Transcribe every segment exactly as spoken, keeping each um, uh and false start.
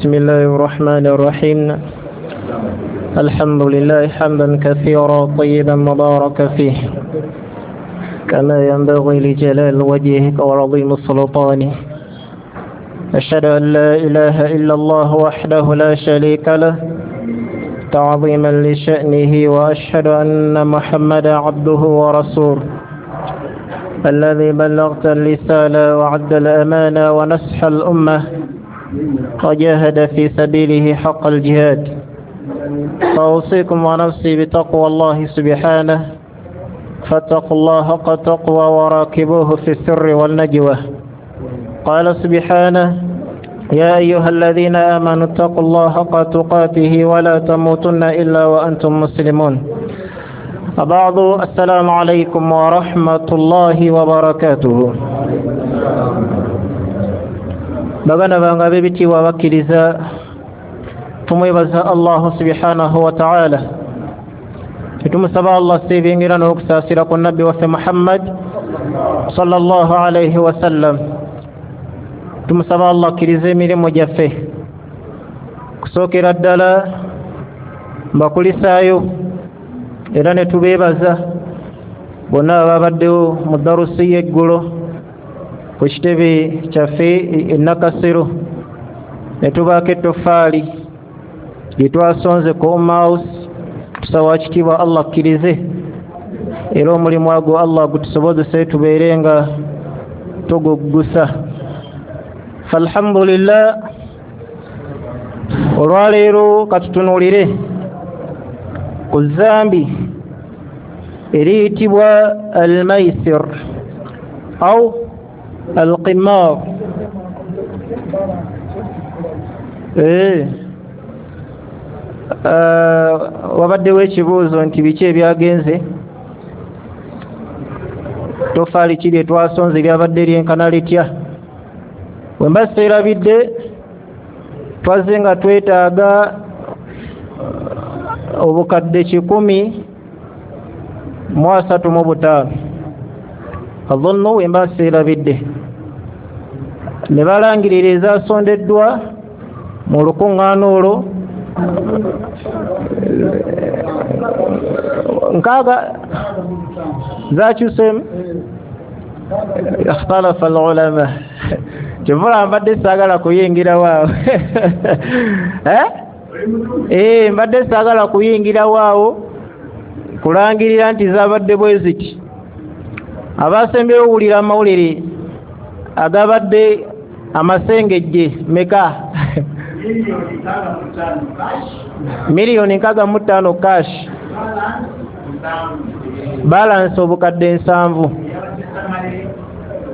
بسم الله الرحمن الرحيم. الحمد لله حمدا كثيرا طيبا مباركا فيه كما ينبغي لجلال وجهك وعظيم سلطانه. أشهد أن لا إله إلا الله وحده لا شريك له تعظيما لشأنه، وأشهد أن محمدا عبده ورسوله الذي بلغت الرسالة وعد الأمانة ونصح الأمة وجاهد في سبيله حق الجهاد. فأوصيكم ونفسي بتقوى الله سبحانه، فاتقوا الله حق التقوى وراقبوه في السر والنجوى. قال سبحانه: يا أيها الذين آمنوا اتقوا الله حق تقاته ولا تموتن إلا وأنتم مسلمون. بعض السلام عليكم ورحمة الله وبركاته. Baganda bange ab'ebitiibwa abakkiriza, tumwebaza Allahu subhanahu wa ta'ala, tetumusaba Allah seebingira n'okusaasira ku nabbi waffe Muhammad sallallahu alayhi wasallam. Tumusaba Allah akkirize emirimu gyaffe. Kusookera ddala mbakulisaayo era ne tubeebaza bonna ababaddewo mu darusi y'eggulo ku kitebe kyaffe e Nakasero, ne tubaako ettoffaali lye twasonze ku Umma House. Tusaba kitiibwa Allah akkirize era omulimu agwo Allah gutusobozese tubeere nga tuguggusa. Falhamdulillah, olwaleero katutunuulire ku zambi eriyitibwa almaisir au alqimar. Eh, wabaddewo ekibuuzo nti biki ebyagenze, tofaali ki lye twasonze lyabadde lyenkana litya? Bwe mba seerabidde, twazze nga twetaaga obukadde kikumi mu asatu mu butaano, adhunnu bwe mba seerabidde. Ne balangirira ezasondeddwa mu lukuŋŋaana olwo nkaaga zakyuseemu. Ikhtalafa alulama, kyovula mbadde saagala kuyingirawo awo eh mbadde saagala kuyingirawo awo kulangirira nti zabadde bwe ziti. Abasembyeyo owulira amawulire agabadde amasengejje meka? Miliyoni nkaaga mu ttaano cash, balance obukadde nsanvu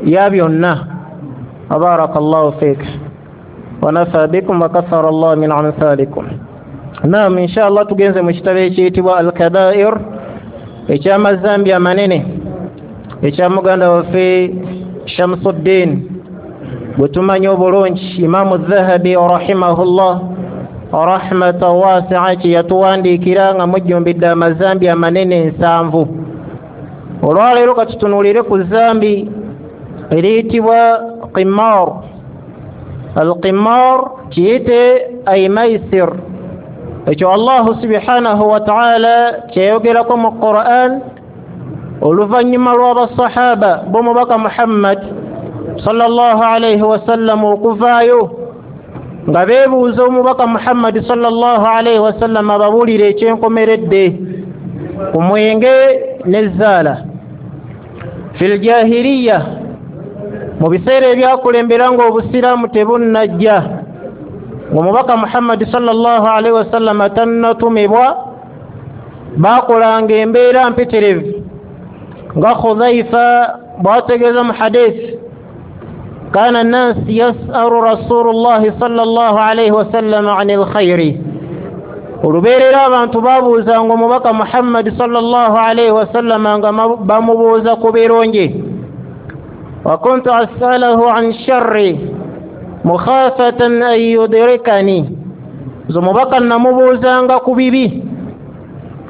ya byonna. Barakallahu fik wa nafa bikum wa kathara Allah min amthalikum. Naam, inshallah tugenze mu kitabo ekiyitibwa Al-Kabair eky'amazambi amanene ekya muganda waffe Shamsuddin gwe tumanyi obulungi, Imamu Dhahabi rahimahullah rahmatan wasi'a, kye yatuwandiikira nga mujjumbidde amazambi amanene nsanvu. Olwaleero katutunuulire ku zambi eriyitibwa qimar. Alqimar kiyite ay maisir, ekyo Allahu subhanahu wa ta'ala kyeyogerako mu Qur'an oluvannyuma lw'abasahaba b'omubaka Muhammad sallallahu alayhi wasallam okuvaayo nga beebuuza omubaka Muhammad sallallahu alayhi wasallam ababuulire ekyenkomeredde ku mwenge n'ezzaala. Fil jahiliya, mu biseera ebyakulembera ng'obusiraamu tebunnajja, ng'omubaka Muhammad sallallahu alayhi wasallam tannatumibwa, baakolanga embeera mpitirivu nga Khudhaifa bw'ategeeza mu hadithi: kana nnas yasalu rasulullahi sallallahu alayhi wasallam anil khayri. Olubeerera abantu babuuzanga omubaka Muhammad sallallahu alayhi wasallam nga bamubuuza ku birungi. Wa kuntu as'alahu an sharri mukhafatan an yudrikani, nze omubaka namubuuzanga ku bibi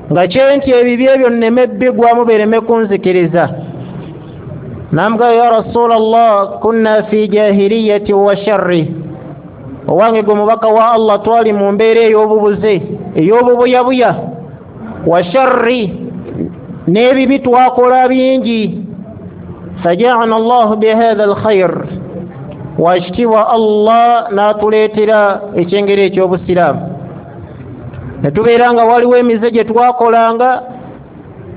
nga kyenti ebibi ebyo nneme bbigwamu bireme kunzikiriza. Namga ya Rasulallah, kunna fi jahiliyati wa sharri, Owange gwe mubaka wa Allah, twali mu mbeera ey'obubuze, ey'obubuyabuya, wa sharri, n'ebibi twakola bingi. Fajaana Allahu bihadha alkhair, wakitiibwa Allah n'atuleetera ekyengeri eky'obusiraamu. Ne tubeera nga waliwo emize gye twakolanga,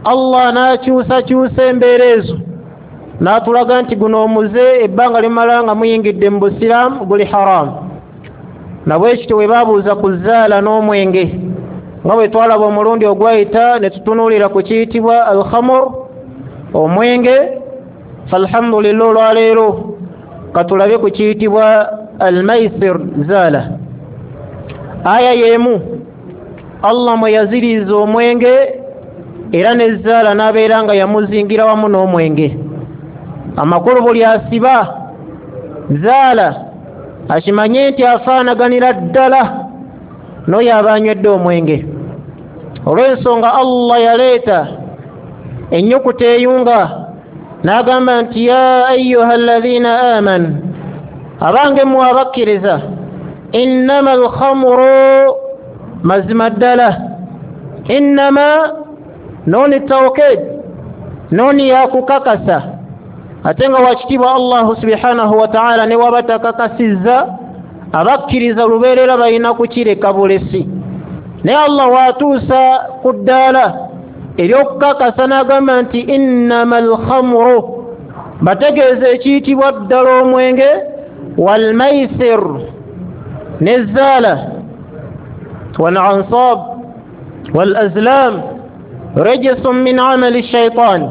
Allah n'akyusakyusa embeera ezo, n'atulaga nti guno omuze ebbanga limala nga muyingidde mu busiraamu guli haramu. Nabwekityo bwe babuuza ku zaala n'omwenge, nga bwe twalaba omulundi ogwayita ne tutunuulira ku kiyitibwa alkhamur, omwenge. Falhamdulillah, olwaleero katulabe ku kiyitibwa almaisir, zaala. Aya y'emu Allah mwe yaziriiza omwenge era ne zaala n'abeera nga yamuzingira wamu n'omwenge. Amakulu, buli asiba zaala akimanye nti afaanaganira ddala n'oyo aba anywedde omwenge. Olw'ensonga Allah yaleeta ennyukuta eyunga n'agamba nti ya ayuha alladhina amanu, abange mmwe abakkiriza, innama alkhamuru, mazima ddala, innama nooni tawkid, nooni yakukakasa. Ate nga wakitiibwa Allahu subhanahu wa ta'ala ne waba takakasizza, abakkiriza lubeerera balina kukireka bulesi. Naye Allah watuusa ku ddaala ery'okukakasa n'agamba nti innama alkhamuru, bategeeza ekiyitibwa ddala omwenge, walmaisir, n'ezzaala, walansab walazlam rejisun min amali shaitan,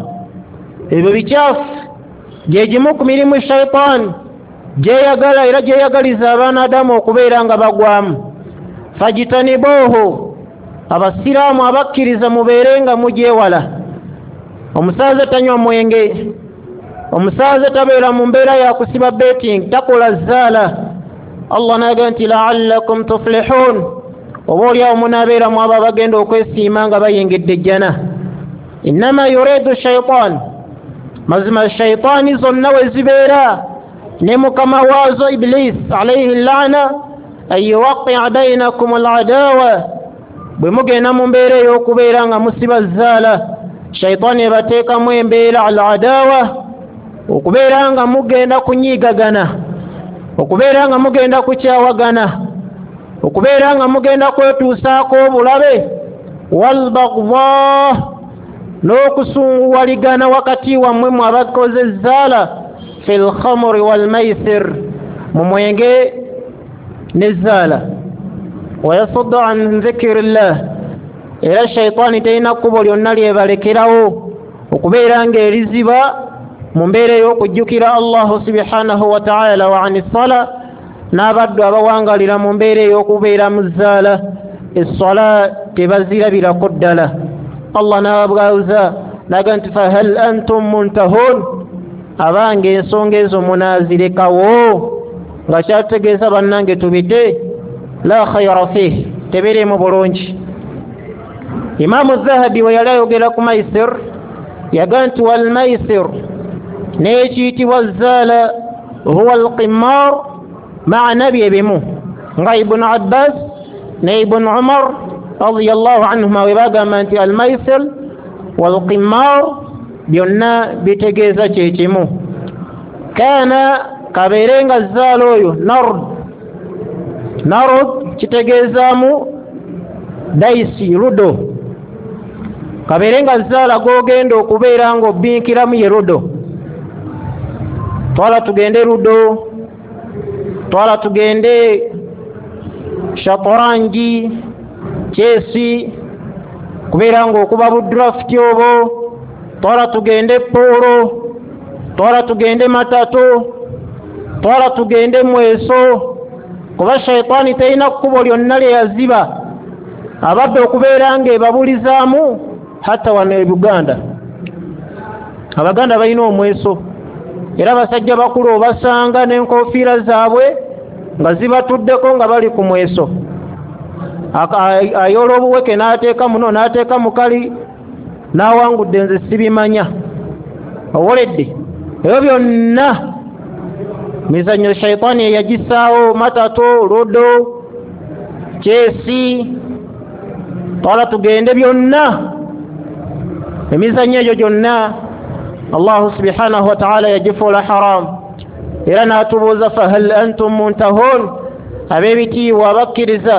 ebyo bikyafu gye gimu ku mirimu shaitaani gyeyagala era gyeyagaliza abaana Adamu okubeera nga bagwamu. Fajitanibuhu, abasiraamu abakkiriza mubeere nga mugyewala. Omusaaza tanywa mwenge, omusaaza tabeera mu mbeera ya kusiba betting, takola zaala. Allah n'agamba nti la'allakum tuflihun, oba oliawo munaabeera mu abo abagenda okwesiima nga bayingidde ejjana. Innama yuridu shaitan, mazima shaitaani zonna we zibeera ne mukama waazo Iblis alayhi laana, an yuwaqia bainakum aladawa, bwe mugenda mu mbeera ey'okubeera nga musiba zaala, shaitaani ebateekamu embeera al adawa, okubeera nga mugenda kunyiigagana, okubeera nga mugenda kukyawagana, okubeera nga mugenda kwetuusaako obulabe, walbagda, n'okusunguwaligana wakati wammwe mwe abakoze zaala, fi lkhamuri walmaisir, mu mwenge ne zaala. Wayasuddu an dhikri llah, era shaitaani terina kkubo lyonna lyebalekerawo okubeera ng'eriziba mu mbeera ey'okujjukira Allahu subhanahu wa ta'ala, wa ani ssala, n'abaddu abawangalira mu mbeera ey'okubeera mu zzaala, esswala tebazirabirako ddala. Allah n'ababwaza n'agamba nti fahal antum muntahun, abange ensonga ezo munaazirekawo? Nga kyategeeza bannange tubite, la khayra fih, tebiriimu bulungi. Imaamu Zahabi we yali ayogera ku maisir yagamba nti walmaisir, n'ekiyitibwa zaala, huwa alqimar, maana bye bimu, nga Ibunu Abbas ne Ibunu Umar radiyallahu anhuma we bagamba nti almaisir walqimar byonna bitegeeza kyekimu. Kaana kabeere nga zaala oyo nard, nard kitegeezaamu daisi, ludo, kabeere nga zaala g'ogenda okubeera ng'obinkiramu ye ludo. Twala tugende ludo, twala tugende shatorangi, chesi, kubeera ng'okuba budrafti obwo, twala tugende polo, twala tugende matatu, twala tugende mweso. Kuba shaitaani terina kkubo lyonna lye yaziba abadde okubeera ng'ebabulizaamu. Hatta wano e Buganda Abaganda balina omweso, era abasajja bakulu obasanga n'enkofiira zaabwe nga zibatuddeko nga bali ku mweso. Ayoola obuweke n'ateeka muno n'ateeka mukali n'awangudde, nze sibimanya. Owoledde ebyo byonna Mizannyo shaitaani eyagisaawo, matatu, ludo, kyesi, twala tugende, byonna emizannyo egyo gyonna Allahu subhanahu wa ta'ala yagifuula haramu. Era n'atubuuza fahal antum muntahun, ab'ebitiibwa abakkiriza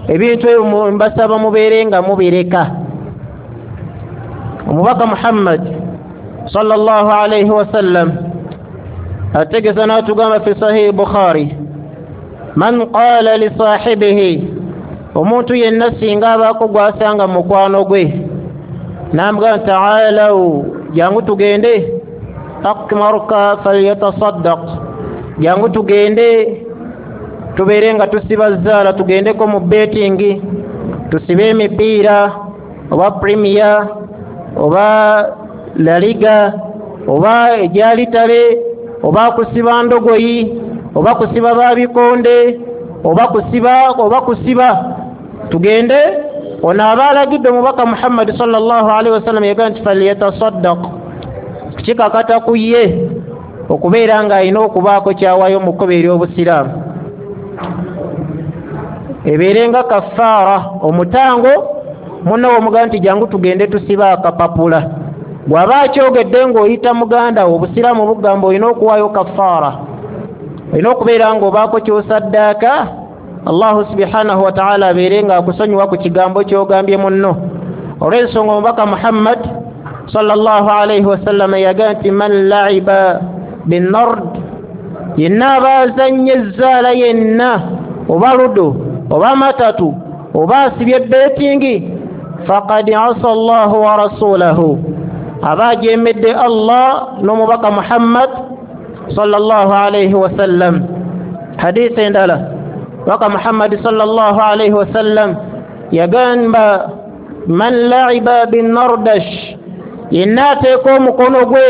ebintu ebyo mbasaba mubeere nga mubireka. Omubaka Muhammad sallallahu alayhi wasallam ategeeza n'atugamba fi sahihi Bukhari, man qala li sahibihi, omuntu yenna singa abaako gw'asanga mukwano gwe n'amugamba ta'alaw, jangu tugende, akmaruka falyatasaddaq, jangu tugende tubeere nga tusiba zaala, tugendeko mu betting, tusibe emipiira oba Premier oba La Liga oba egyalitale oba kusiba ndogoyi oba kusiba babikonde oba kusiba oba kusiba tugende. Ono aba alagidde omubaka Muhammad sallallahu alaihi wasallam yagamba nti falyatasaddaq, kikakata ku ye okubeera ng'alina okubaako kyawayo mu kkubo ery'obusiraamu, ebeere nga kafaara, omutango. Munno womugamba nti jangu tugende tusiba akapapula, bw'aba akyogedde ng'oyita muganda wo, obusiraamu bugamba olina okuwaayo kafaara, olina okubeera ng'obaako ky'osaddaaka, Allahu subhanahu wa ta'ala abeere ng'akusonyiwa ku kigambo ky'ogambye munno. Olw'ensonga omubaka Muhammad sallallahu alayhi wasallam yagamba nti man la'iba binnard, yenna aba azannye ezzaala yenna oba ludo oba matatu oba asibye betingi, faqad asa Allahu wa rasulahu, aba ajemedde Allah n'omubaka Muhammad sallallahu alayhi wasallam. Hadithi endala waka Muhammad sallallahu alayhi wasallam yagamba man la'iba binnardash, yenna ateeka omukono gwe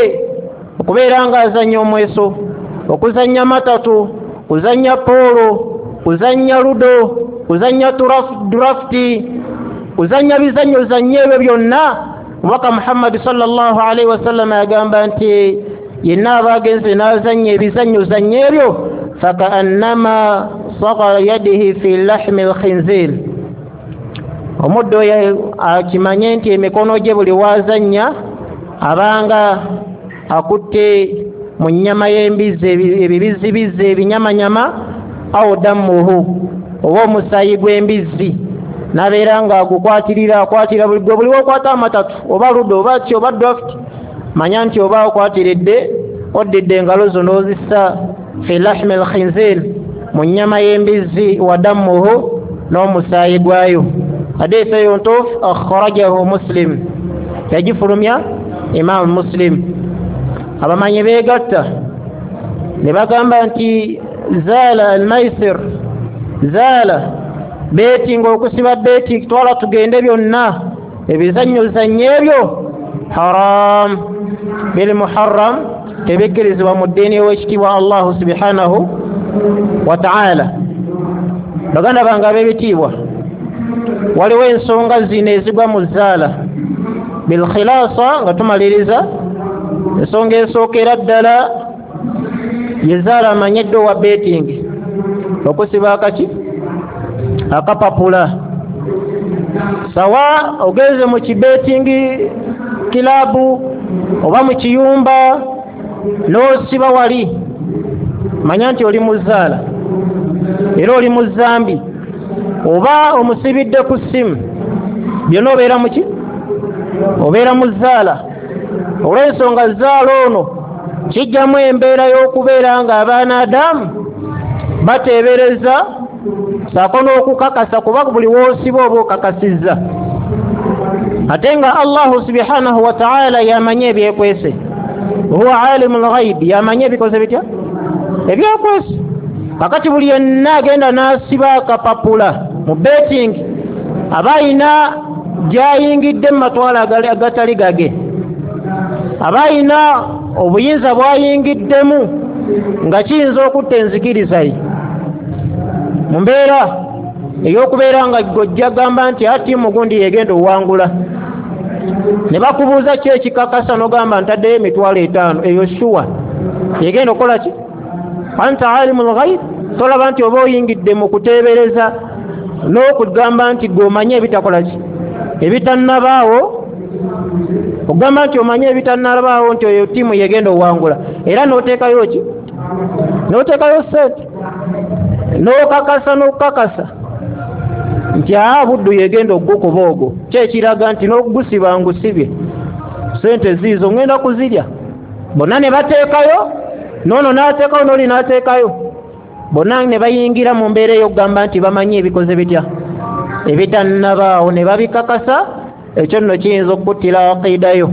okubeera ng'azannya omweso, okuzannya matatu, kuzannya poolo, kuzannya ludo, kuzannya drafti, kuzannya bizannyo zannyo ebyo byonna, omubaka Muhammad sallallahu alaihi wasallam yagamba nti yenna aba agenze n'azannya ebizannyo zannyo ebyo, fakaannama saga yadihi fi lahmi lkhinzir, omuddo oyo akimanye nti emikono gye buli waazannya abanga akutte mu nnyama y'embizzi, ebibizibizzi, ebinyamanyama, awo dammuhu, oba omusaayi gw'embizzi, n'abeera ng'agukwatirira, akwatira buli gwe buli wokwata amatatu oba ludo oba ki oba draft, manya nti oba okwatiridde oddidde engalo zo n'ozissa fi lahmi lkhinzir, mu nnyama y'embizzi, wa dammuhu, n'omusaayi gwayo. Hadithi eyo ntuufu, akhrajahu Muslim, yagifulumya Imam Muslim. Abamanyi beegatta ne bagamba nti zaala almaisir, zaala betinga, okusiba beti, twala tugende byonna ebizannyo zannyo ebyo haram, biri muharram, tebikkirizibwa mu ddiini ow'ekitiibwa Allahu subhanahu wa ta'ala. Baganda bange ab'ebitiibwa, waliwo ensonga zino ezigwa mu zaala bilkhilasa. Nga tumaliriza, ensonga esookera ddala ye zaala amanyidde owa betting, okusiba akaki akapapula. Sawa ogenze mu kibetingi kilabu oba mu kiyumba n'osiba wali, manya nti oli mu zaala era oli mu zambi, oba omusibidde ku ssimu, byonna obeera muki, obeera mu zaala. Olw'ensonga zaala ono kijjamu embeera y'okubeera nga abaana Adamu bateebereza saako n'okukakasa, kuba buli w'osiba oba okakasizza, ate nga Allahu subhanahu wa ta'ala yamanye ebyekwese, huwa alimul ghaib, yamanye ebikoze bitya ebyekwese. Kakati buli yenna agenda n'asiba akapapula mu betting aba ayina gy'ayingidde mu matwale agatali gage, aba ayina obuyinza bw'ayingiddemu nga kiyinza okutta enzikiriza ye mu mbeera ey'okubeera nga gojja gamba nti ati mugundi yegenda owangula, ne bakubuuza ki ekikakasa n'ogamba ntaddeyo emitwalo etaano, eyo shuwa yegenda okukola ki? Anta alimul ghaib, tolaba nti oba oyingidde mu kuteebereza n'okugamba nti gwe omanyi ebitakola ki ebitannabaawo, ogamba nti omanyi ebitannabaawo nti oyo ttiimu yegenda owangula, era n'oteekayo ki n'oteekayo sente n'okakasa n'okukakasa nti aa Buddu yegenda ogukuba ogwo, kyekiraga nti n'okugusiba ngusibye sente ziizo ngenda kuzirya. Bonna ne bateekayo, n'ono n'ateekayo n'oli n'ateekayo, bonna ne bayingira mu mbeera ey'okugamba nti bamanyi ebikoze bitya ebitannabaawo ne babikakasa. Ekyo nno kiyinza okukuttira aqiidayo.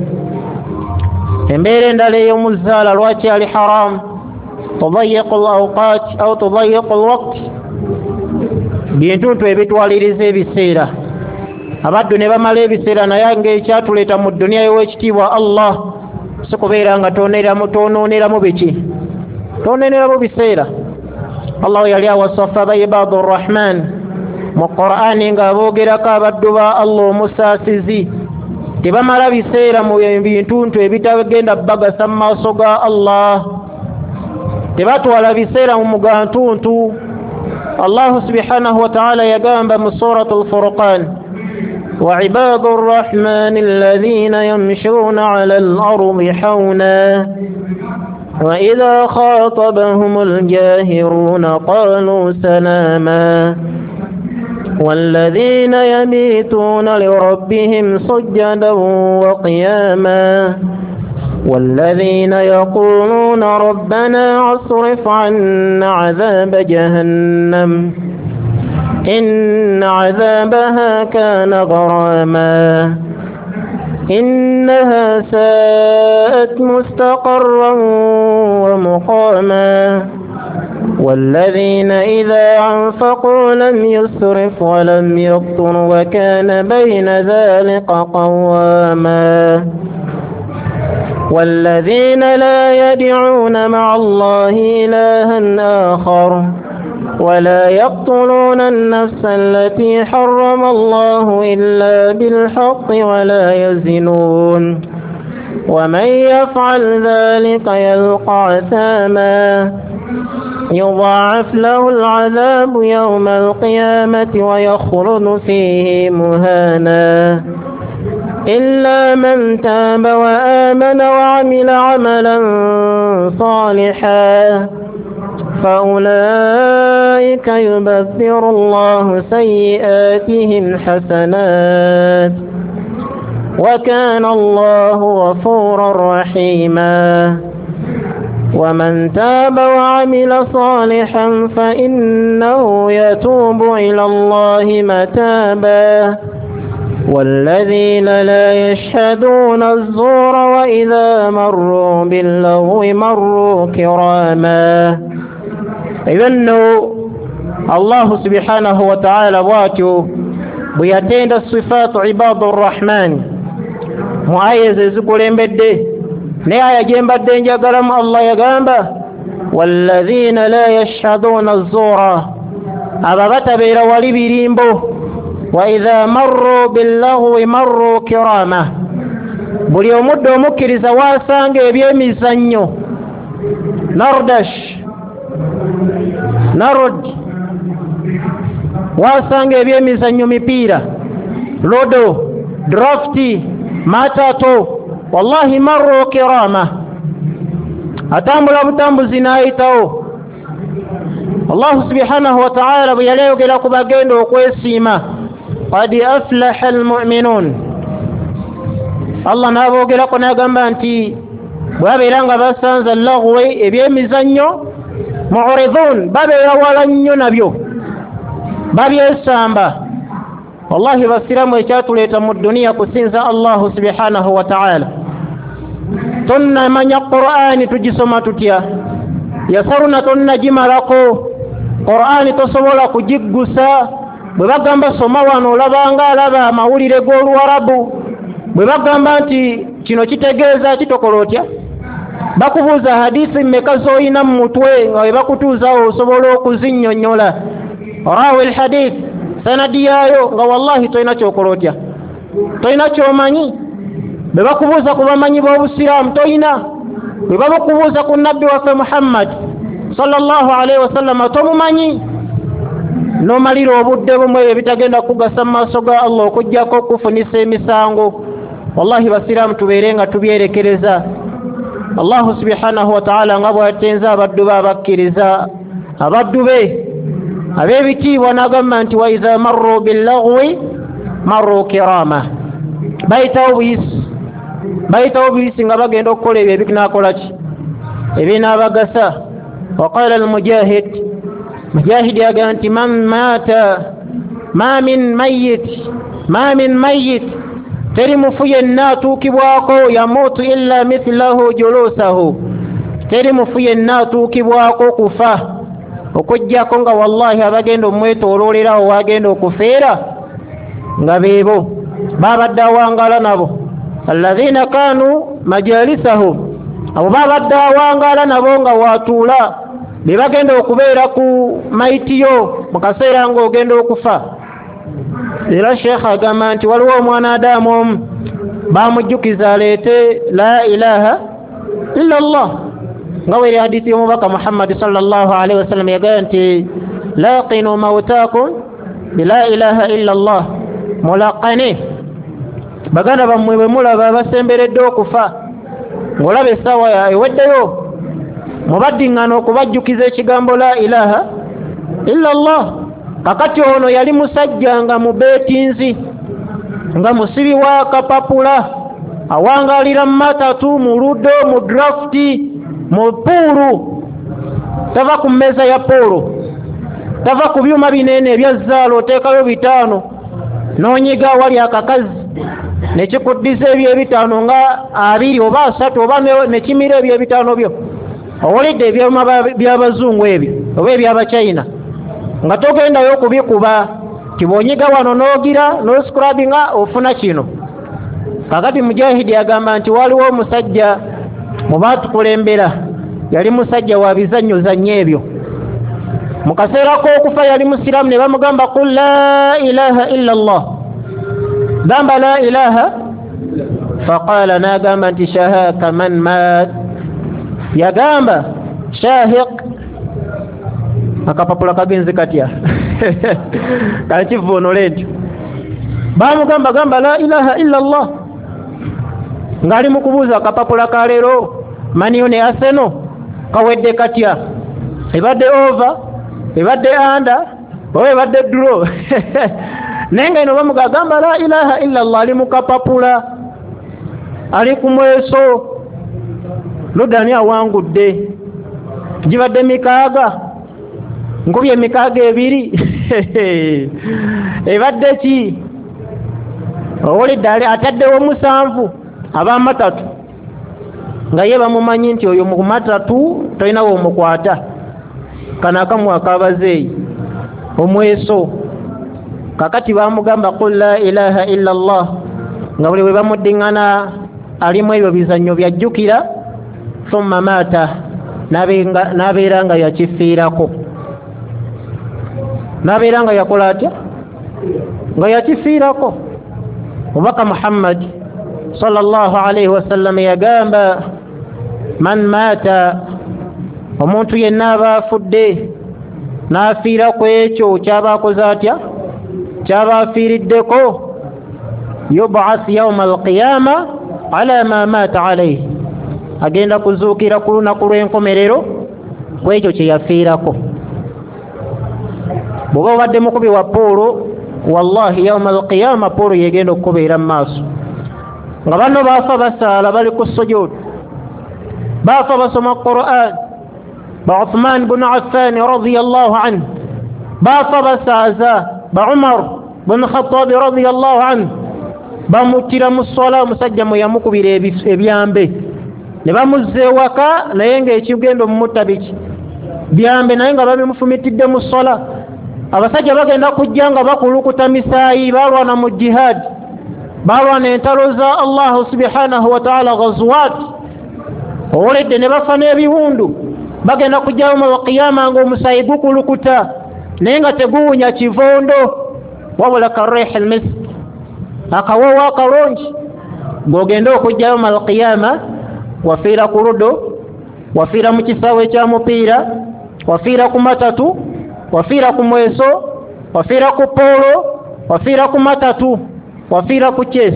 Embeera endala ey'omuzaala lwaki ali haramu, tudayiqu l awqat au tudayiqu lwaqt, bintuntu ebitwaliriza ebiseera. Abaddu ne bamala ebiseera, naye ng'ekyatuleeta mu dduniya y'owekitiibwa Allah si kubeera nga tonooneramu biki tonooneramu biseera. Allah yali awasafa ba ibadu rrahman mu Qur'ani ng'aboogerako abaddu ba Allah omusaasizi, tebamala biseera mu bintuntu ebitagenda bagasa mu maaso ga Allah, tebatwala biseera mu mugantuntu. Allahu subhanahu wa ta'ala yagamba mu Surat al-Furqan, wa ibadu rrahmani alladhina yamshuna ala al-ardi hawna wa idha khatabahum al-jahiruna qalu salama والذين يبيتون لربهم سجدا وقياما والذين يقولون ربنا اصرف عنا عذاب جهنم إن عذابها كان غراما إنها ساءت مستقرا ومقاما والذين إذا أنفقوا لم يسرفوا ولم يقتروا وكان بين ذلك قواما والذين لا يدعون مع الله إلها آخر ولا يقتلون النفس التي حرم الله إلا بالحق ولا يزنون ومن يفعل ذلك يلقى أثاما يضاعف له العذاب يوم القيامة ويخلد فيه مهانا إلا من تاب وآمن وعمل عملا صالحا فأولئك يبدل الله سيئاتهم حسنات وكان الله غفورا رحيما ومن تاب وعمل صالحا فإنه يتوب إلى الله متابا والذين لا يشهدون الزور وإذا مروا باللغو مروا كراما. إذن الله سبحانه وتعالى bwatyo bwe yatenda sifaatu ibadu rrahman mu aya ezo ezikulembedde. Naye aya gye mbadde njagalamu Allah yagamba walladhina la yashhaduuna azzuura, abo batabeera wali birimbo, wa idha marru billaghwi marru kirama. Buli omudde omukkiriza waasanga ebyemizannyo nardash narod, wasanga ebyemizannyo mipiira, lodo, drafti, matato, wallahi marru kirama, atambula butambuzi n'ayitawo. Allah subhanahu wa ta'ala bwe yali ayogera ku bagenda okwesiima, qad aflaha almu'minun, Allah n'aboogerako n'agamba nti bwe babeera nga basanze lagwe ebyemizannyo mu'ridun, babeera wala nnyo nabyo, babyesamba. Wallahi basiramu ekyatuleeta mu dduniya kusinza Allahu subhanahu wa ta'ala. Tonnamanya Qur'ani tugisoma tutya, yasaruna tonnagimalako, Qur'ani tosobola kugiggusa. Bwe bagamba soma wano olabanga alaba amawulire g'Oluwarabu, bwe bagamba nti kino kitegeeza kitokola otya, bakubuuza hadisi mmeka z'olina mu mutwe nga bwe bakutuuzaawo osobola okuzinnyonnyola, rawi alhadith sanadi yaayo, nga wallahi tolina kyokola otya, tolina kyomanyi. Bwe bakubuuza ku bamanyi b'Obusiraamu tolina, bwe bakubuuza ku nabbi waffe Muhammad Sallallahu alaihi wasallam tomumanyi, n'omalira obudde bumwe ebyo bitagenda kugasa mu maaso ga Allah okuggyako okufunisa emisango. Wallahi basiraamu tubeere nga tubyerekereza. Allahu subhanahu wa ta'ala nga bw'atenza abaddu be abakkiriza, abaddu be ab'ebitiibwa, n'agamba nti wa idha marru billaghwi marru kirama, bayitawo buyisi, bayitawo buyisi nga bagenda okukola ebyo ebinaakola ki, ebinaabagasa. Waqala almujahid, mujahid yagamba nti man maata ma min mayyit ma min mayyit, teri mufu yenna atuukibwako yamuutu illa mithlahu julusahu, teri mufu yenna atuukibwako kufa okuggyako nga wallahi abagenda omwetooloolerawo wagenda okufeera nga beebo babadde awangaala nabo, alladhina kanu majalisahu, abo babadde awangaala nabo nga watuula be bagenda okubeera ku maitiyo mu kaseera ng'ogenda okufa. Era Sheikh agamba nti waliwo omwana Adamu omu bamujjukiza aleete la ilaha illa Allah, nga weri hadithi y'omubaka Muhammad sallallahu alaihi wasallam yagamba nti laqinu mautakum bila ilaha illa Allah, mulaqane baganda bammwe bwe mulaba basemberedde okufa, ng'olaba essaawa eweddeyo, mubaddiŋŋana okubajjukiza ekigambo la ilaha illa Allah. Kakati ono yali musajja nga mubeetinzi, nga musibi wa kapapula, awangaalira mu matatu, mu ludo, mu drafti, mu puulu, tava ku mmeeza ya puulu, tava ku byuma binene ebya zzaala, oteekayo bitaano n'onyiga awali akakazi nekikuddiza ebyo ebitaano nga abiri oba asatu oba nekimira ebyo ebitaano byo. Owulidde ebyuma by'abazungu ebyo oba eby'abachina, nga togendayo okubikuba, tibonyiga wano n'ogira n'oscrubinga ofuna kino. Kakati mujahidi agamba nti waliwo omusajja mu baatukulembera, yali musajja wa bizannyozannyo ebyo. Mu kaseera k'okufa yali musiraamu, ne bamugamba qul la ilaha illa Allah, gamba la ilaha. Faqala, n'agamba nti shahaka man maat, yagamba shahiq. Akapapula kagenze katya kankivuunule ntyo. Bamugamba gamba la ilaha illa Allah, ng'ali mu kubuuza akapapula ka leero maniyo ne Arsenal kawedde katya, ebadde over, ebadde under, oba ebadde draw. Naye nga eno bamugamba la ilaha illa Allah, ali mu kapapula, ali ku mweso, ludani awangudde, gibadde mikaaga, nkubye emikaaga ebiri ebadde ki, owulidde ataddewo musanvu ab'amatatu, nga ye bamumanyi nti oyo mu matatu tolinawo omukwata, kano akamu akabazeeyi omweso. Kakati bamugamba qul la ilaha illa Allah, nga buli we bamuddiŋŋana alimu ebyo bizannyo byajjukira, thumma maata, n'abeera nga yakifiirako, n'abeera nga yakola atya, nga yakifiirako. Omubaka Muhammad sallallahu alaihi wasallam yagamba man maata, omuntu yenna aba afudde n'afiira ku ekyo kyaba akoze atya, kyaba afiiriddeko, yub'ath yawma alqiyama ala ma maata alayhi, agenda kuzuukira ku lunaku lw'enkomerero ku ekyo kye yafiirako. Bw'oba obadde mukubi wa puulu, wallahi yawma alqiyama puulu yegenda okukubeera mu maaso. Nga banno baafa basaala, bali ku sujud, baafa basoma Qur'an, ba Uthman bin Affan radiyallahu anhu baafa basaaza, ba Umar bin Khattab radiyallahu anhu bamuttira mu swala, omusajja mwe yamukubira ebyambe ne bamuzza ewaka, naye ng'ekigenda omumutta biki byambe, naye nga babimufumitidde mu swala. Abasajja bagenda kujja nga bakulukuta misaayi, balwana mu jihad, balwana entalo za Allahu subhanahu wa ta'ala, ghazwat, owulidde ne bafa n'ebiwundu. Bagenda kujjawo mu qiyama ng'omusaayi gukulukuta, naye nga teguwunya kivondo, wabula karih almisk, akawoowo akalungi. Ng'ogenda okujjawo mu qiyama wafiira ku ludo, wafiira mu kisaawe kya mupiira, Wafiira ku matatu, wafiira ku mweso, wafiira ku polo, wafiira ku matatu, wafiira ku chess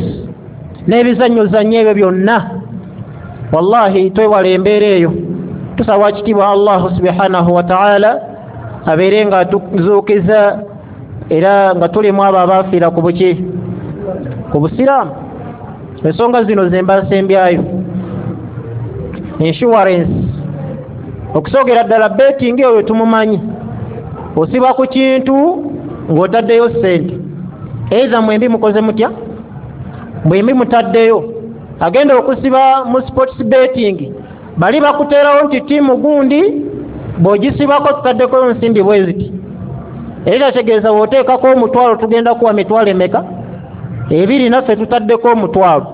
n'ebizannyozannyo ebyo byonna. Wallahi twewala embeera eyo. Tusaba kitiibwa Allahu subhanahu wa ta'ala abeere nga atuzuukiza era nga tulimu abo abaafiira ku buki, ku busiraamu. Ensonga zino ze mba nsembyayo. Insurance, okusookera ddala betting oyo tumumanyi, osiba ku kintu ng'otaddeyo ssente, either mwembi mukoze mutya, mwembi mutaddeyo. Agenda okusiba mu sports betting, bali bakuteerawo nti ttiimu gundi bw'ogisibako tutaddeko nsimbi bwe ziti, era kyategeeza bw'oteekako omutwalo tugenda kuwa mitwalo emeka? Ebiri, naffe tutaddeko omutwalo.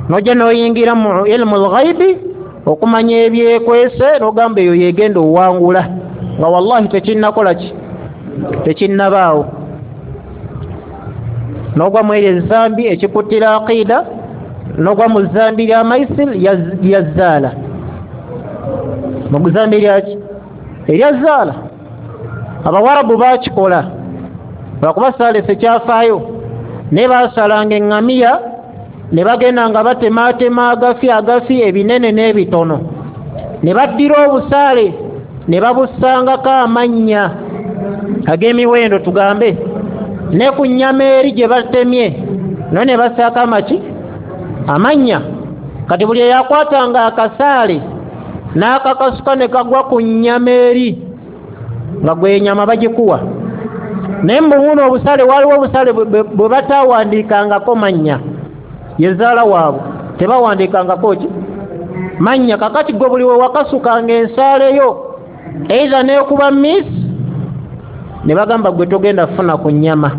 Nojja n'oyingira mu ilmu lghaibi okumanya ebyekwese, n'ogamba eyo yegenda owangula, nga wallahi tekinnakola ki, tekinnabaawo. N'ogwa mu eryo ezambi ekikuttira aqida, n'ogwa mu zambi lya maisir lya zaala, mu zambi lyaki erya zaala. Abawarabu bakikola lwakuba saalese kyafaayo, naye baasalanga eŋŋamiya ne bagenda nga batemaatema agafi agafi ebinene n'ebitono, ne baddira obusaale ne babussangako amannya ag'emiwendo tugambe, ne ku nnyama eri gye batemye nayo ne bassaako amaki amannya. Kati buli eyakwatanga akasaale n'akakasuka ne kagwa ku nnyama eri, nga gwe ennyama bagikuwa. Naye mbubuno obusaale, waliwo obusaale bwe batawandiikangako mannya, ye zaala waabwe tebawandiikangako ki mannya. Kakati gwe buli we wakasukanga ensaale yo either n'ekuba miss, ne bagamba gwe togenda kufuna ku nnyama.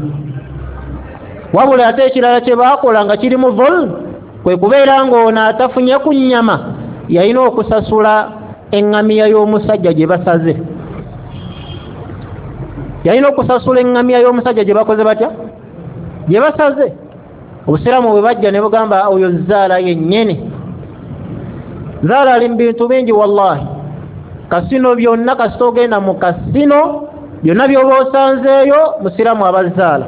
Wabula ate ekirala kye baakola nga kirimu dhulm, kwe kubeera ng'ono atafunye ku nnyama yalina okusasula eŋŋamiya y'omusajja gye basaze. Yalina okusasula eŋŋamiya y'omusajja gye bakoze batya, gye basaze. Obusiraamu bwe bajja ne bugamba oyo zaala yennyini. Zaala ali mu bintu bingi wallahi. Kasino byonna, kasita ogenda mu kasino byonna by'oba osanzeeyo musiraamu aba zaala.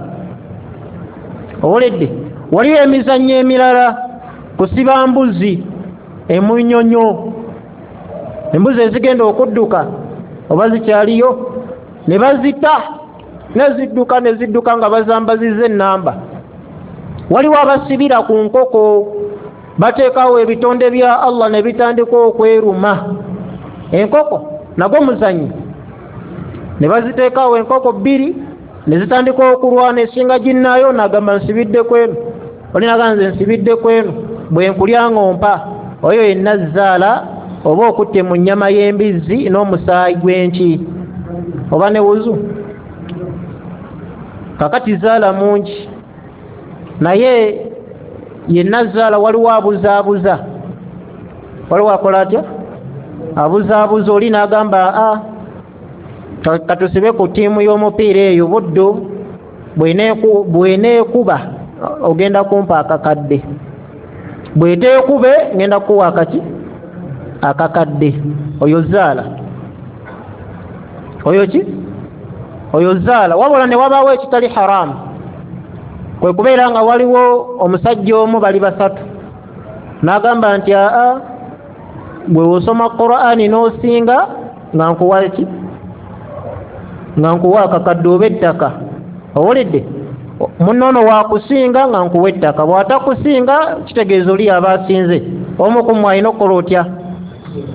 Owulidde? Waliwo emizannyo emirala, kusiba mbuzi emunyonyo, embuzi ezigenda okudduka oba zikyaliyo ne bazita ne zidduka ne zidduka nga bazambaziza ennamba. Waliwo abasibira ku nkoko, bateekawo ebitonde bya Allah ne bitandika okweruma. Enkoko nagwo muzannyo, ne baziteekawo enkoko bbiri ne zitandika okulwana, esinga ginnaayo nagamba nsibidde kweno, oli nagamba nze nsibidde kweno, bwe nkulya ng'ompa. Oyo yenna zaala oba okutte mu nnyama y'embizzi n'omusaayi gw'enki oba ne wuzu. Kakati zaala mungi, naye yenna zaala waliwo abuzaabuza, waliwo akola atya abuzaabuza, oli n'agamba a katusibe ku ttiimu y'omupiira eyo Buddu bw'eneekuba ogenda kumpa akakadde, bw'eteekube ngenda kukuwa akaki akakadde. Oyo zaala, oyo ki oyo zaala. Wabula ne wabaawo ekitali haramu, kwe kubeera nga waliwo omusajja omu bali basatu, n'agamba nti aa bwe osoma Qur'ani n'osinga nga nkuwa ki, nga nkuwa akakadde oba ettaka. Owulidde? Munno ono wakusinga nga nkuwa ettaka, bw'atakusinga kitegeeza oli aba asinze. Omu ku mmwe alina okukola otya?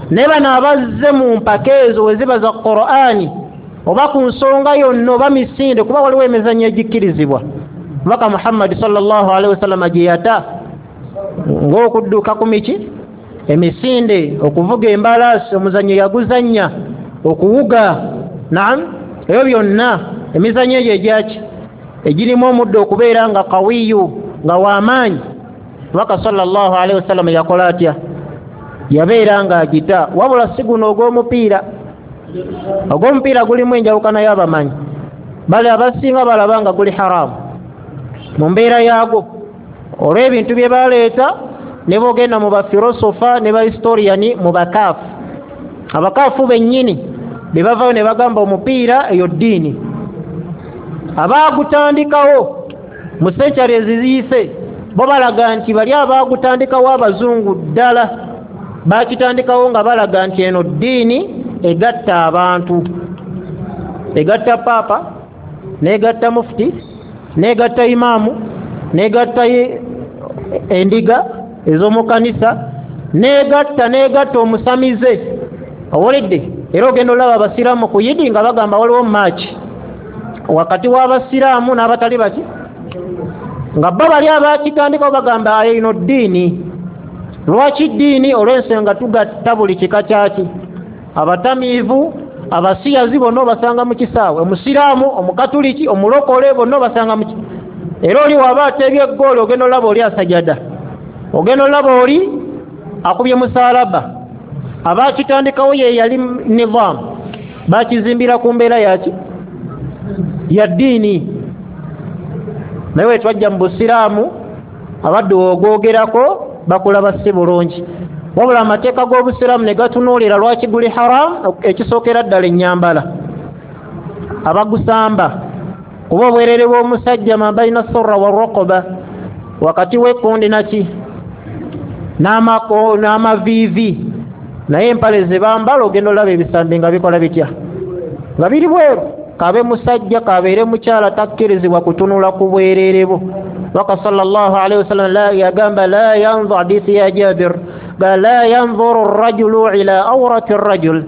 Naye bano abazze mu mpaka ezo we ziba za Qur'ani oba ku nsonga yonna oba misinde, kuba waliwo emizannyo egikkirizibwa Mubaka Muhammad sallallahu alaihi wasallam gye yata, ng'okudduka ku miki emisinde, okuvuga embalaasi, omuzannyo yaguzannya, okuwuga, naam, ebyo byonna emizannyo egyo egyaki egirimu omuddo okubeera nga kawiyu nga w'amaanyi. Mubaka sallallahu alaihi wasallam yakola atya? Yabeera nga agita. Wabula si guno ogw'omupiira, ogw'omupiira gulimu enjawukana y'abamanyi, bale abasinga balaba nga guli haramu mu mbeera yaagwo olw'ebintu bye baleeta. Ne bogenda mu bafilosofa ne bahistoriyani mu bakaafu, abakaafu bennyini Bebavayo ne bagamba omupiira eyo ddiini. Abaagutandikawo mu century eziyise bo balaga nti bali abaagutandikawo abazungu ddala bakitandikawo nga balaga nti eno ddiini egatta abantu, egatta paapa, negatta mufti, negatta imaamu, negatta endiga ez'omu kanisa, negatta negatta omusamize. Owulidde? Era ogenda olaba abasiraamu ku yidi nga bagamba waliwo match wakati w'abasiraamu n'abatali baki, nga bo bali abakitandikawo bagamba eno ddiini. Lwaki ddiini? Olw'ensonga tugatta buli kika kyaki, abatamiivu, abasiyazi bonna obasanga mu kisaawe, omusiraamu, omukatuliki, omulokole, bonna obasanga mu. Era oli waba ateebye eggoolo, ogenda olaba oli asajada, ogenda olaba oli akubye musaalaba. Abakitandikawo ye yali nizaamu, bakizimbira ku mbeera yaki ya ddiini. Naye wetwajja mu busiraamu, abadde ogwogerako bakulaba si bulungi. Wabula amateeka g'obusiraamu ne gatunuulira lwaki guli haramu. Ekisookera ddala, ennyambala abagusamba, kuba obwerere bw'omusajja ma baina surra warukuba, wakati w'ekkundi naki n'amaviivi. Naye empale ze bambala, ogenda olaba ebisambi nga bikola bitya, nga biri bweru. Kabe musajja, kabeere mukyala, takkirizibwa kutunula ku bwerere bwo. Baka sallallahu alaihi wasallam yagamba la yanzur, hadithi ya Jabir ga la yanzuru rajulu ila aurati rajul,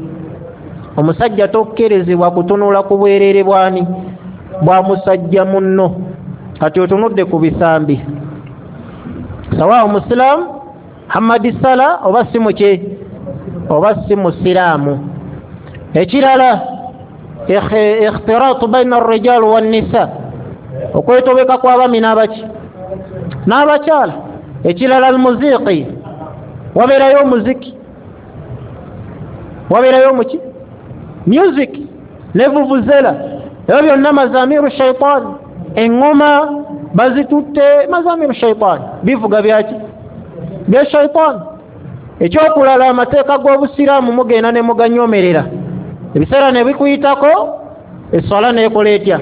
omusajja tokkirizibwa kutunula ku bwerere bwani bwa musajja munno. Kati otunudde ku bisambi, sawa omusiraamu Hamadi Sala oba si muki oba si musiraamu. Ekirala, ikhtiratu baina arrijal wannisa, okwetobeka kw'abaami n'abaki n'abakyala. Ekirala, almuziqi, wabeerayo omuziki, wabeerayo omuki music ne vuvuzela, ebyo byonna mazamiru shaitaani. Eŋŋoma bazitutte, mazamiru shaitaani, bivuga byaki bya shaitaani. Ekyokulala, amateeka g'obusiraamu mugenda ne muganyomerera, ebiseera ne bikuyitako, eswala neekola etya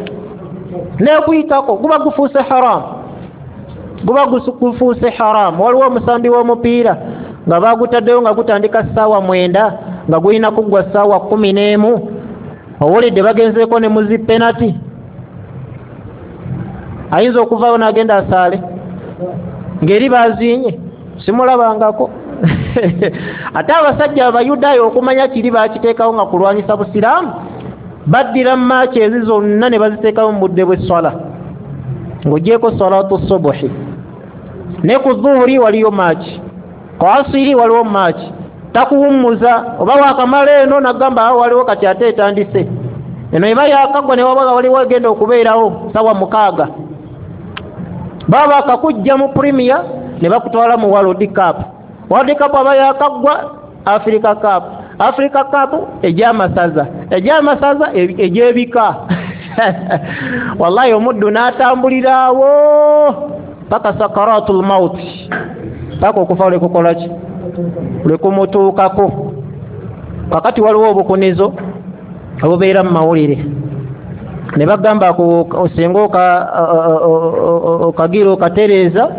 nekuyitako, guba gufuuse haramu, guba gufuuse haramu. Waliwo omusambi w'omupiira nga bagutaddeyo nga gutandika ssaawa mwenda, nga gulina kuggwa ssaawa kumi n'emu. Owulidde? Bagenzeeko ne muzi penalty, ayinza okuvaayo n'agenda asaale ng'eri bazinye, simulabangako. Ate abasajja abayudaaya okumanya kiri bakiteekawo nga kulwanyisa busiraamu, baddira mu match ezi zonna ne baziteekawo mu budde bw'esswala, ng'ogyeko salatu subuhi, ne ku zuhuri waliyo match, ku asiri waliwo match. Takuwummuza, oba wakamala eno nagamba awo waliwo kati ate etandise eno, eba yakagwa ne waba waliwo egenda okubeerawo sawa mukaaga. Baba bakakujja mu Premier ne bakutwala mu World Cup, World Cup aba yakaggwa, Africa Cup, Africa Cup egy'amasaza, egy'amasaza egy'ebika. Wallahi omuddu n'atambuliraawo paka sakaratul mauti, paka okufa lwekukolaki lwekumutuukako. Kakati waliwo obukunizo obubeera mu mawulire ne bagamba singa okagira okatereeza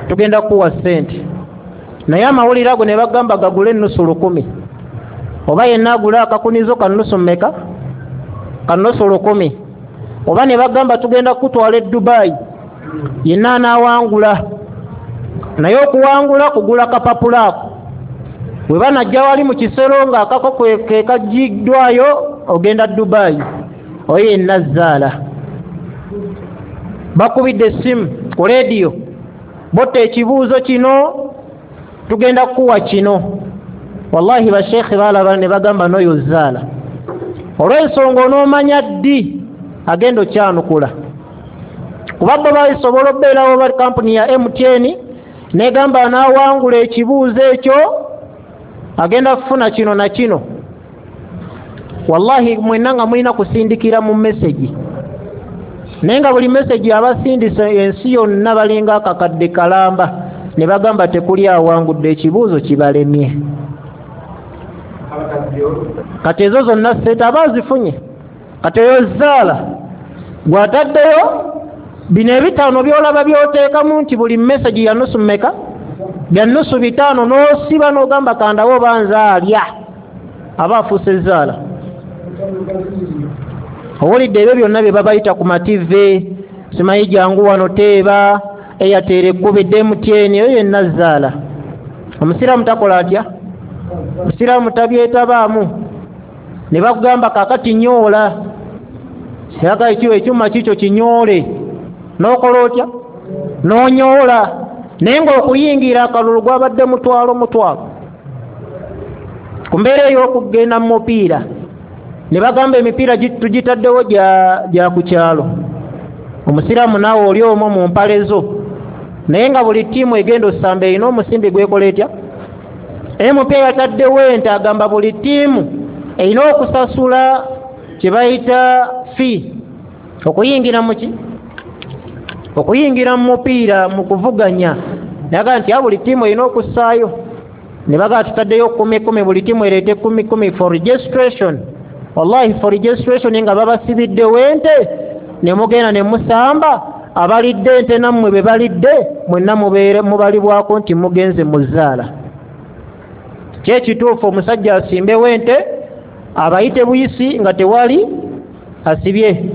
tugenda kukuwa ssente, naye amawulire ago ne bagamba gagule ennusu lukumi, oba yenna agule akakunizo ka nnusu mmeka, ka nnusu lukumi, oba ne bagamba tugenda kukutwala e Dubayi, yenna anaawangula, naye okuwangula kugula kapapula ako, bwe banajja wali mu kisero ng'akako ke kagiddwayo ogenda Dubayi, oyo yenna zaala. Bakubidde essimu ku leediyo, botta ekibuuzo kino, tugenda kukuwa kino. Wallahi basheekhe balaba ne bagamba n'oyo zaala, olw'ensonga onoomanya ddi agenda okyanukula, kuba bo basobola okubeerawo ba kampuni ya M T N negamba anaawangula ekibuuzo ekyo agenda kufuna kino na kino. Wallahi mwenna nga mulina kusindikira mu message, naye nga buli message abasindise ensi yonna balinga akakadde kalamba, ne bagamba tekuli awangudde, ekibuuzo kibalemye. Kati ezo zonna sente aba azifunye. Kati eyo zaala gwataddeyo bino ebitaano byolaba byoteekamu nti buli message ya nusu mmeka, bya nusu bitaano, n'osiba n'ogamba kandawo oba nzaalya, aba afuuse zaala. Owulidde ebyo byonna bye babayita ku mativi, simanyi jangu wano teeba, Airtel ekkubidde M T N, eyo yenna zaala. Omusiraamu takola atya? Omusiraamu tabyetabaamu. Ne bakugamba kaakati nyoola, yaga ekiwa ekyuma kikyo kinyoole, n'okola otya? N'onyoola. Naye ng'okuyingira akalulu gwabadde mutwalo mutwalo. Ku mbeera ey'okugenda mu mupiira, ne bagamba emipiira tugitaddewo gya ku kyalo. Omusiraamu naawe oli omwo mu mpale zo, naye nga buli ttiimu egenda osamba erina omusimbi gwekola etya? M P yataddewo ente, agamba buli ttiimu erina okusasula kye bayita fee okuyingira mu ki? Okuyingira mu mupiira mu kuvuganya. Naga nti buli ttiimu erina okussaayo, ne bagamba tutaddeyo kumi kumi, buli ttiimu ereete kumi kumi for registration. Wallahi for registration nga babasibiddewo ente, ne mugenda ne musamba, abalidde ente nammwe be balidde mwenna mubeere mubalibwako nti mugenze mu zaala. Kyekituufu omusajja asimbewo ente abayite buyisi nga tewali asibye,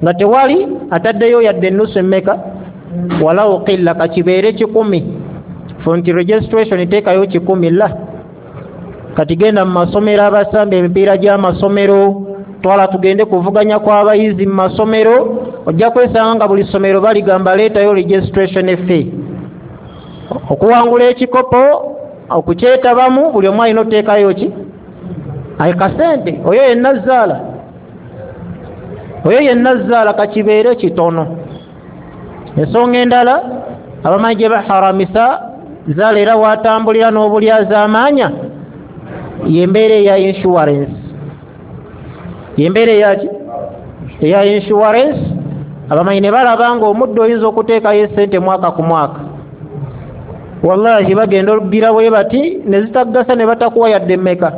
nga tewali ataddeyo yadde ennusu emmeka, walawo qilla kakibeere kikumi. Nti registration teekayo kikumi la. Kati genda mu masomero abasamba emipiira gy'amasomero, twala tugende kuvuganya kw'abayizi mu masomero, ojja kwesanga nga buli ssomero baligamba leetayo registration fee. Okuwangula ekikopo okukyetabamu buli omu alina oteekayo ki? Ayi kasente. Oyo yenna zaala, oyo yenna zaala kakibeere kitono. Ensonga endala abamanyi gye baharamisa zaala era watambulira n'obulyazaamaanya y'embeera eya insurance. Y'embeera eyaki? Eya insurance. Abamanyi ne balaba ng'omuddo oyinza okuteekayo essente mwaka ku mwaka, wallahi bagenda olugira bwe bati ne zitaggasa ne batakuwa yadde mmeka,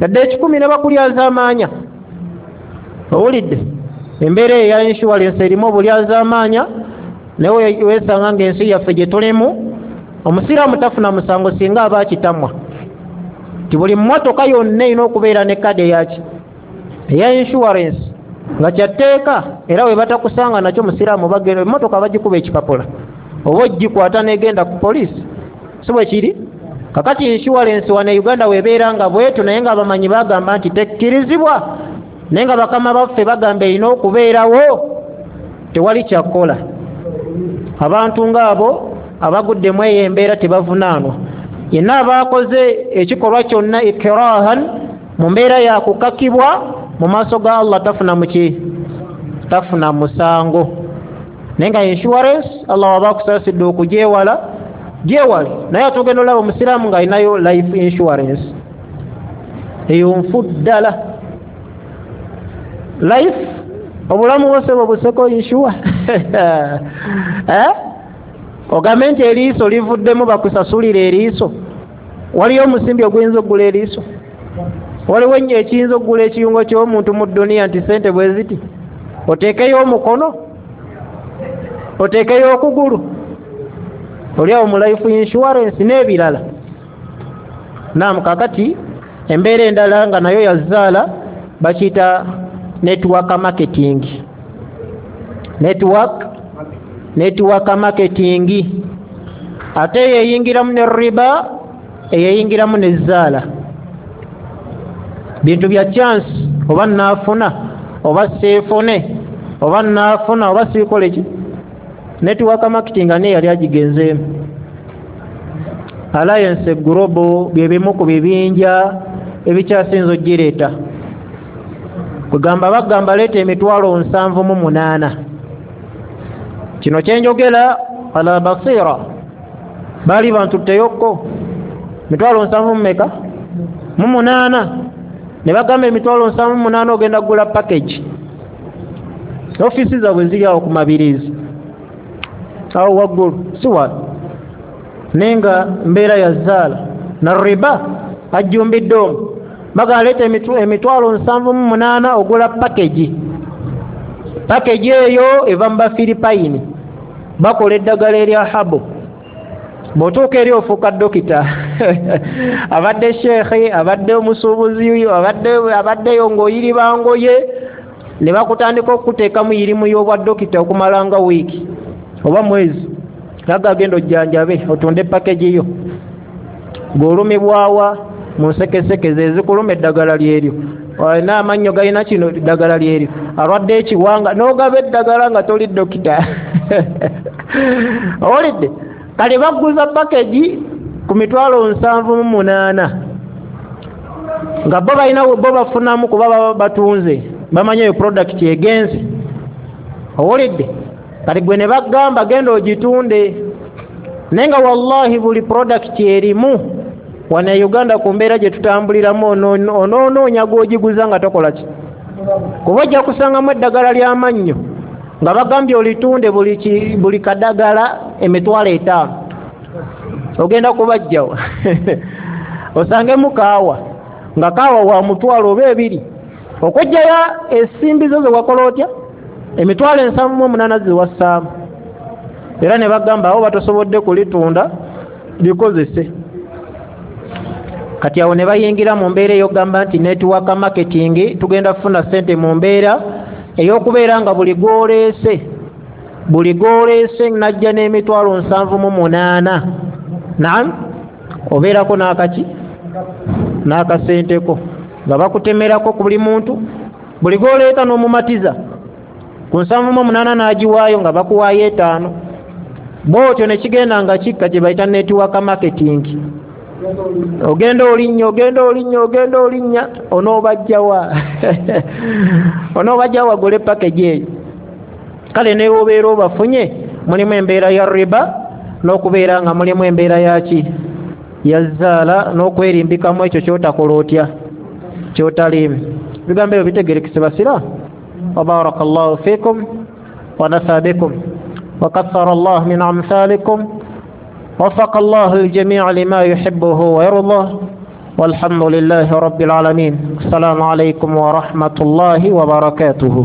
yadde ekikumi ne bakulyazaamaanya. Owulidde embeera eya insurance erimu obulyazaamaanya, naye weesanga ng'ensi yaffe gye tulimu omusiraamu tafuna musango singa aba akitamwa. Nti buli mmotoka yonna erina okubeera ne kadi eyaki? Eya insurance, nga kyatteeka, era we batakusanga nakyo musiraamu bagenda emmotoka bagikuba ekipapula oba ogikwata n'egenda ku poliisi, si bwe kiri? Kakati insurance wano e Uganda webeera nga bwetyo, naye nga abamanyi bagamba nti tekkirizibwa, naye nga bakama baffe bagamba erina okubeerawo, tewali kyakukola. Abantu ng'abo abaguddemu eyo embeera tebavunaanwa. Yenna abaakoze ekikolwa kyonna ikrahan mu mbeera ya kukakibwa mu maaso ga Allah tafuna muki? Tafuna musango. Naye nga insurance Allah waba akusaasidde okugyewala, gyewale. Naye ate ogenda olaba omusiraamu ng'alinayo life insurance, eyo nfu ddala. Life obulamu bwose bwobuseko insure. Eh? Ogambe nti eriiso livuddemu bakusasulira eriiso, waliyo omusimbi oguyinza okugula eriiso? Waliwo ekiyinza okugula ekiyungo ky'omuntu mu dduniya nti sente bwe ziti? Oteekeyo omukono, oteekeyo okugulu, oli awo mu life insurance n'ebirala. Naam, kakati embeera endala nga nayo yazaala bakiyita network marketing. Network network marketing ate eyeyingiramu ne riba, eyeyingiramu ne zaala. Bintu bya chance, oba naafuna oba seefune, oba naafuna oba siikole ki. Network marketing ani yali agigenzeemu? Alliance Global bye bimu ku bibinja ebikyasinza ogireeta. Kugamba bagamba leeta emitwalo nsanvu mu munaana. Kino kyenjogera ala basira, baali bantutteyokko mitwalo nsanvu mu meka? Mu munaana. Ne bagamba emitwalo nsanvu mu munaana ogenda kugula package. Ofiisi zaabwe ziri awo ku Mabirizi, awo waggulu si wala, naye nga mbeera ya zaala na riba ajjumbidde omwo. Bagaleeta emitwalo nsanvu mu munaana ogula package. Package eyo eva mu Bafiripayini, bakola eddagala erya habo. Bw'otuuka eri ofuuka dokita. Abadde sheekhe, abadde omusuubuzi, abadde abaddeyo ng'oyiriba ngoye, ne bakutandika okukuteekamu yirimu y'obwa dokita okumala nga wiiki oba mwezi. Naga agenda ojjanjabe otunde package yo. Ng'olumibwawa mu nsekeseke ze ezikuluma eddagala lyeryo, olina amannyo galina kino eddagala lyeryo, alwadde ekiwanga n'ogaba eddagala nga toli dokita. Owulidde? Kale baguza package ku mitwalo nsanvu mu munaana, nga bo balina bo bafunamu kuba baba batunze, bamanyi eyo product egenze. Owulidde? Kale gwe ne bagamba genda ogitunde, naye nga wallahi buli product erimu wano e Uganda ku mbeera gye tutambuliramu onoonoonya gw'ogiguza nga tokola ki, kuba ojja kusangamu eddagala ly'amannyo nga bagambye olitunde buli buli kadagala emitwalo etaano, ogenda kubajjawa. Osangemu kaawa nga kaawa wa mutwalo oba ebiri, okujjayo ensimbi zo ze wakola otya emitwalo ensanvu mu omunaana ziwassaamu, era ne bagamba awo batosobodde kulitunda likozese. Kati awo ne bayingira mu mbeera ey'okugamba nti network marketing tugenda kufuna ssente mu mbeera ey'okubeera nga buli gw'oleese buli gw'oleese najja n'emitwalo nsanvu mu munaana, naam, obeerako n'akaki n'akasenteko nga bakutemerako ku buli muntu, buli gw'oleeta n'omumatiza ku nsanvu mu munaana n'agiwaayo nga bakuwaayo etaano. Bw'otyo ne kigenda nga kikka kye bayita network marketing. Ogenda olinnya ogenda olinnya ogenda olinnya onoobajjawa onoobajjawa gule package eyo. Kale ne bw'obeera obafunye mulimu embeera ya riba n'okubeera nga mulimu embeera yaki ya zaala n'okwerimbikamu ekyo ky'otakola otya ky'otaliimu. Ebigambo ebyo bitegerekese basira. Wa barakallahu fiikum wa nafa bikum wa kathara Allah min amthalikum. وفق الله الجميع لما يحبه ويرضاه والحمد لله رب العالمين. السلام عليكم ورحمة الله وبركاته.